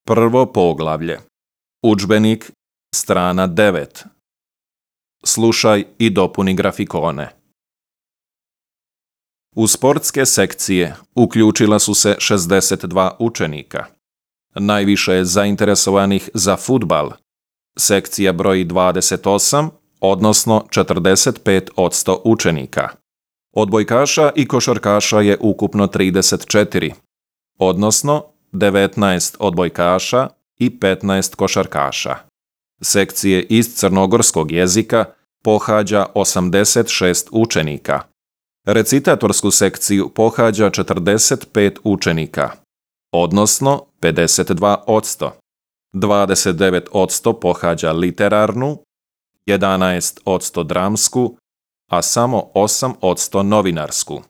Prvo poglavlje. Udžbenik, strana 9. Slušaj i dopuni grafikone. U sportske sekcije uključila su se 62 učenika. Najviše je zainteresovanih za fudbal. Sekcija broji 28, odnosno 45% učenika. Odbojkaša i košarkaša je ukupno 34, odnosno 19 odbojkaša i 15 košarkaša. Sekcije iz crnogorskog jezika pohađa 86 učenika. Recitatorsku sekciju pohađa 45 učenika, odnosno 52%. 29% pohađa literarnu, 11% dramsku, a samo 8% novinarsku.